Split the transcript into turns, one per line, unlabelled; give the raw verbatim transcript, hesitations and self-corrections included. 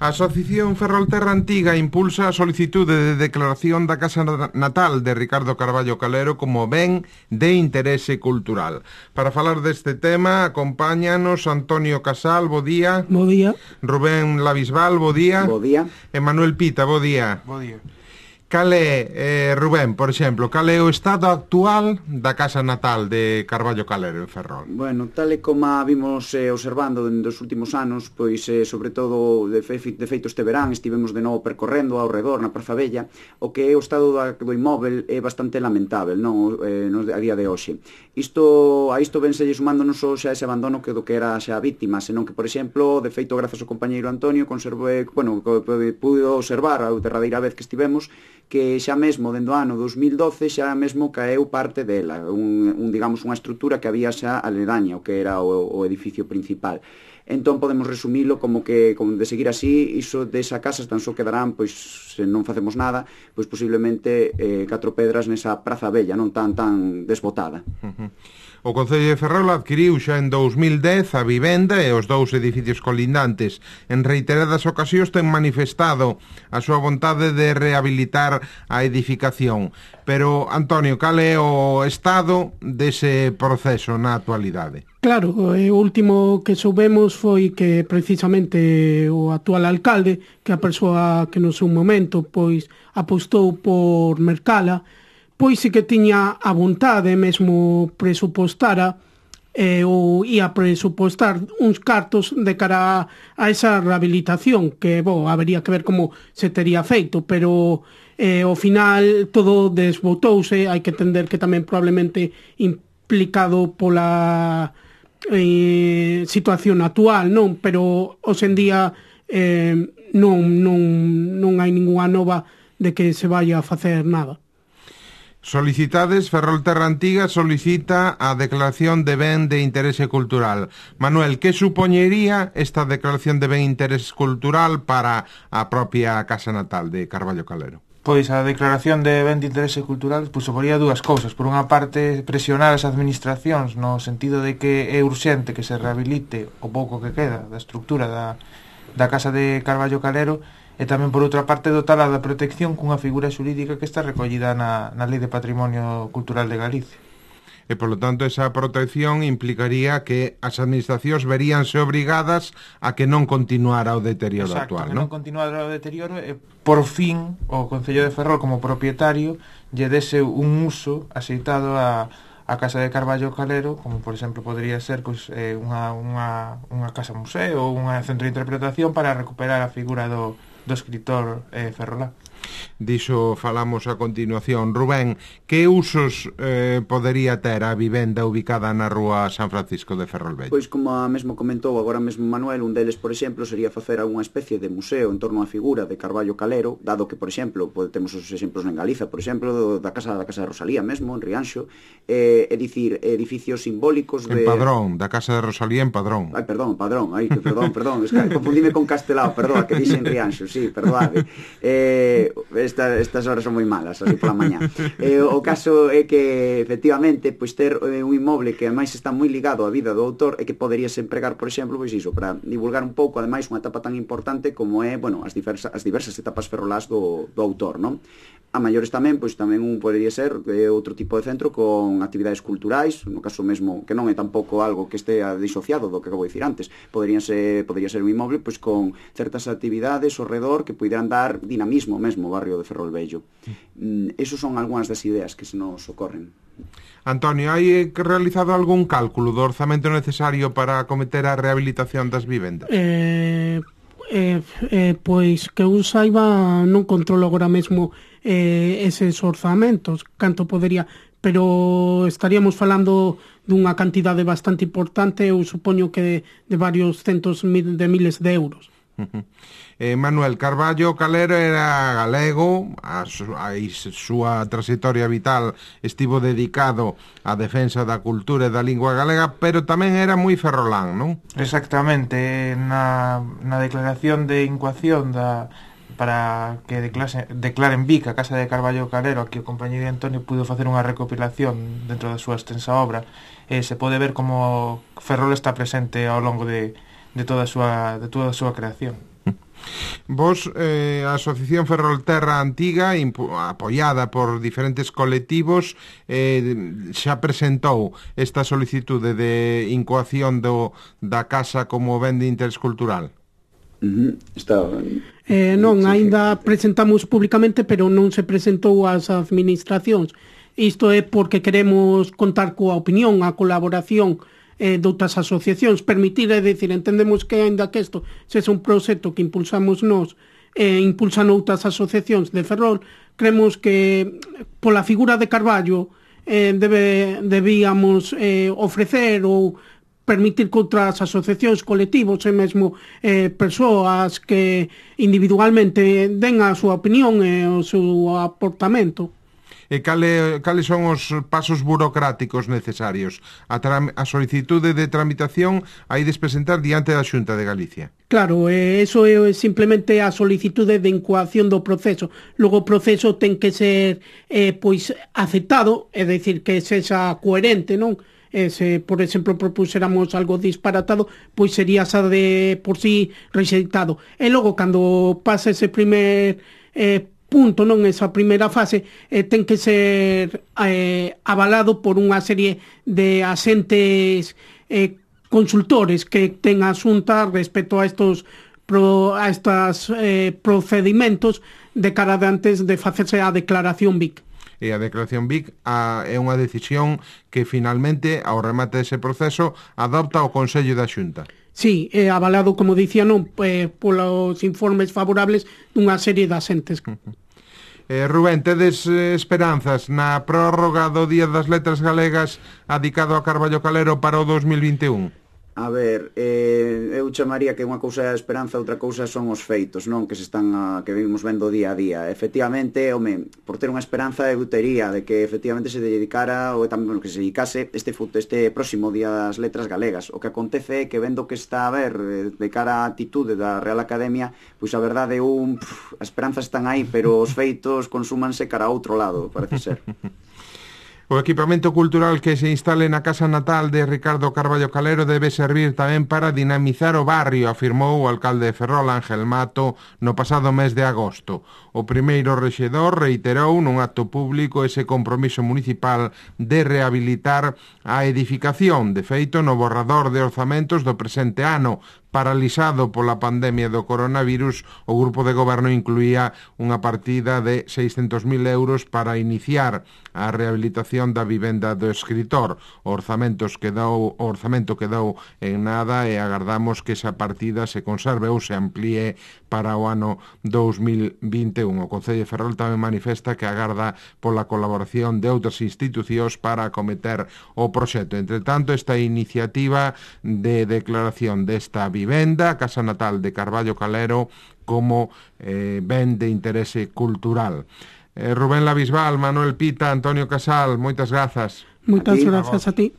A Asociación Ferrolterra Antiga impulsa a solicitude de declaración da casa natal de Ricardo Carballo Calero como ben de interese cultural. Para falar deste tema, acompáñanos Antonio Casal, bo día.
Bo día.
Rubén Lavisval, bo día.
Bo día.
E Manuel Pita, bo día.
Bo día.
Cal é, eh, Rubén, por exemplo, cal é o estado actual da casa natal de Carballo Calero en Ferrol?
Bueno, tal e como vimos eh, observando nos últimos anos, pois eh, sobre todo de, fe, de feito este verán estivemos de novo percorrendo ao redor na Praza Bella, o que é o estado da, do inmóvel é bastante lamentável, non, eh, no, a día de hoxe. Isto, a isto vense sumando non só xa ese abandono que do que era xa a víctima, senón que, por exemplo, de feito, grazas ao compañeiro Antonio, conserve, bueno, pudo observar a derradeira vez que estivemos, que xa mesmo dende o ano dos mil doce xa mesmo caeu parte dela, un, un digamos unha estrutura que había xa aledaña o que era o, o edificio principal. Entón podemos resumilo como que, como de seguir así, iso desa casa tan só quedarán, pois, se non facemos nada, pois posiblemente eh, catro pedras nesa Praza Bella, non tan tan desbotada.
Uh-huh. O Concello de Ferrol adquiriu xa en dous mil dez a vivenda e os dous edificios colindantes. En reiteradas ocasións ten manifestado a súa vontade de rehabilitar a edificación. Pero, Antonio, cal é o estado dese proceso na actualidade?
Claro, o último que soubemos foi que precisamente o actual alcalde, que a persoa que no seu momento pois apostou por Mercala, pois sí que tiña a vontade, mesmo presupostara eh, ou ia presupostar uns cartos de cara a, a esa rehabilitación, que, bo, habería que ver como se tería feito, pero eh, ao final todo desbotouse, hai que entender que tamén probablemente implicado pola eh, situación actual, non? Pero hoxe en día eh, non, non, non hai ninguna nova de que se vaya a facer nada.
Solicitades, Ferrolterra Antiga solicita a declaración de ben de interese cultural. Manuel, que supoñería esta declaración de ben de interese cultural para a propia casa natal de Carballo Calero?
Pois a declaración de ben de interese cultural pois suporía dúas cousas. Por unha parte, presionar as administracións no sentido de que é urxente que se rehabilite o pouco que queda da estructura da, da casa de Carballo Calero, e tamén, por outra parte, dotala da protección cunha figura xurídica que está recollida na, na Lei de Patrimonio Cultural de Galicia.
E, polo tanto, esa protección implicaría que as administracións veríanse obrigadas a que non continuara o deterioro
Exacto,
actual,
que
non?
non continuara o deterioro e, por fin, o Concello de Ferrol, como propietario, lle dese un uso axeitado a... a casa de Carballo Calero, como por exemplo podría ser pois, eh, unha, unha, unha casa museo ou unha centro de interpretación para recuperar a figura do, do escritor eh, ferrolá.
Diso falamos a continuación. Rubén, que usos eh, podería ter a vivenda ubicada na rúa San Francisco de Ferrolvello?
Pois como mesmo comentou agora mesmo Manuel, un deles, por exemplo, sería facer algunha especie de museo en torno á figura de Carballo Calero, dado que, por exemplo, pode, temos os exemplos en Galiza, por exemplo, do, da casa da casa de Rosalía mesmo, en Rianxo, eh, é dicir, edificios simbólicos de...
En Padrón, da casa de Rosalía en Padrón.
Ai, perdón, Padrón, ai, que perdón, perdón, es que confundime con Castelao, perdón, que dixe en Rianxo, sí, perdóade. Eh, esta, estas horas son moi malas, así pola mañá. Eh, o caso é que, efectivamente, pois ter eh, un inmoble que ademais está moi ligado á vida do autor e que poderíase empregar, por exemplo, pois iso, para divulgar un pouco, ademais, unha etapa tan importante como é, bueno, as diversas, as diversas etapas ferrolás do, do autor, non? A maiores tamén, pois tamén un podería ser eh, outro tipo de centro con actividades culturais, no caso mesmo, que non é tampouco algo que estea disociado do que acabo de dicir antes, poderían ser, podería ser un inmoble pois con certas actividades ao redor que puideran dar dinamismo mesmo ao barrio de Ferrolvello. Mm, esos son algunhas das ideas que se nos ocorren.
Antonio, hai realizado algún cálculo do orzamento necesario para acometer a rehabilitación das vivendas?
Eh, eh, eh, pois que eu saiba non controlo agora mesmo eh, eses orzamentos, canto podería, pero estaríamos falando dunha cantidade bastante importante, eu supoño que de, de varios centos de miles de euros.
Uh-huh. eh, Manuel Carballo Calero era galego, a, su, a súa trayectoria vital estivo dedicado á defensa da cultura e da lingua galega, pero tamén era moi ferrolán, non?
Exactamente, na, na declaración de incoación da, para que declase, declaren Vic a casa de Carballo Calero, aquí o compañeiro Antonio pudo facer unha recopilación dentro da súa extensa obra, e se pode ver como Ferrol está presente ao longo de de toda a súa de toda a súa creación.
Vos, eh, a Asociación Ferrolterra Antiga, apoiada por diferentes colectivos, eh, xa presentou esta solicitude de incoación do, da casa como ben de interés cultural.
Uh-huh. Está...
Eh, non, aínda presentamos públicamente, pero non se presentou ás administracións. Isto é porque queremos contar coa opinión, a colaboración eh, de outras asociacións, permitir, é dicir, entendemos que aínda que isto sexa un proxecto que impulsamos nós, eh, impulsan outras asociacións de Ferrol, creemos que pola figura de Carballo eh, debe, debíamos eh, ofrecer ou permitir que outras asociacións, colectivos e mesmo eh, persoas que individualmente den a súa opinión e o seu aportamento.
E cale, cales son os pasos burocráticos necesarios? A, tram, a solicitude de tramitación hai de presentar diante da Xunta de Galicia.
Claro, eh, eso é simplemente a solicitude de incoación do proceso. Logo o proceso ten que ser eh, pois aceptado, é dicir, que sexa coherente, non? E se, por exemplo, propuséramos algo disparatado, pois sería xa de por sí rexeitado. E logo, cando pasa ese primer eh, punto, non, esa primeira fase, eh, ten que ser eh, avalado por unha serie de asentes eh, consultores que ten a Xunta respecto a estos pro, a estos eh, procedimentos de cara de antes de facerse a declaración B I C.
E a declaración B I C a, é unha decisión que finalmente, ao remate dese proceso, adopta o Consello da Xunta.
Sí, é avalado, como dicía, non, eh, polos informes favorables dunha serie de asentes.
Eh, Rubén, tedes eh, esperanzas na prórroga do Día das Letras Galegas adicado a Carballo Calero para o dos mil vinte e un?
A ver, eh, eu chamaría que unha cousa é a esperanza, outra cousa son os feitos, non? Que se están a, que vimos vendo día a día. Efectivamente, home, por ter unha esperanza eu tería de que efectivamente se dedicara ou tamén bueno, que se dedicase este este próximo Día das Letras Galegas. O que acontece é que vendo que está a ver de cara a atitude da Real Academia, pois a verdade un, pff, as esperanzas están aí, pero os feitos consúmanse cara a outro lado, parece ser.
O equipamento cultural que se instale na casa natal de Ricardo Carballo Calero debe servir tamén para dinamizar o barrio, afirmou o alcalde de Ferrol, Ángel Mato, no pasado mes de agosto. O primeiro rexedor reiterou nun acto público ese compromiso municipal de rehabilitar a edificación. De feito, no borrador de orzamentos do presente ano, paralizado pola pandemia do coronavirus, o grupo de goberno incluía unha partida de seiscentos mil euros para iniciar a rehabilitación da vivenda do escritor. O orzamentos quedou, o orzamento quedou en nada e agardamos que esa partida se conserve ou se amplíe para o ano dos mil vinte e un. O Concello de Ferrol tamén manifesta que agarda pola colaboración de outras institucións para acometer o proxecto. Entre tanto, esta iniciativa de declaración desta vivenda, a casa natal de Carballo Calero, como eh, ben de interese cultural. Eh, Rubén Labisbal, Manuel Pita, Antonio Casal, moitas grazas.
Moitas grazas a ti.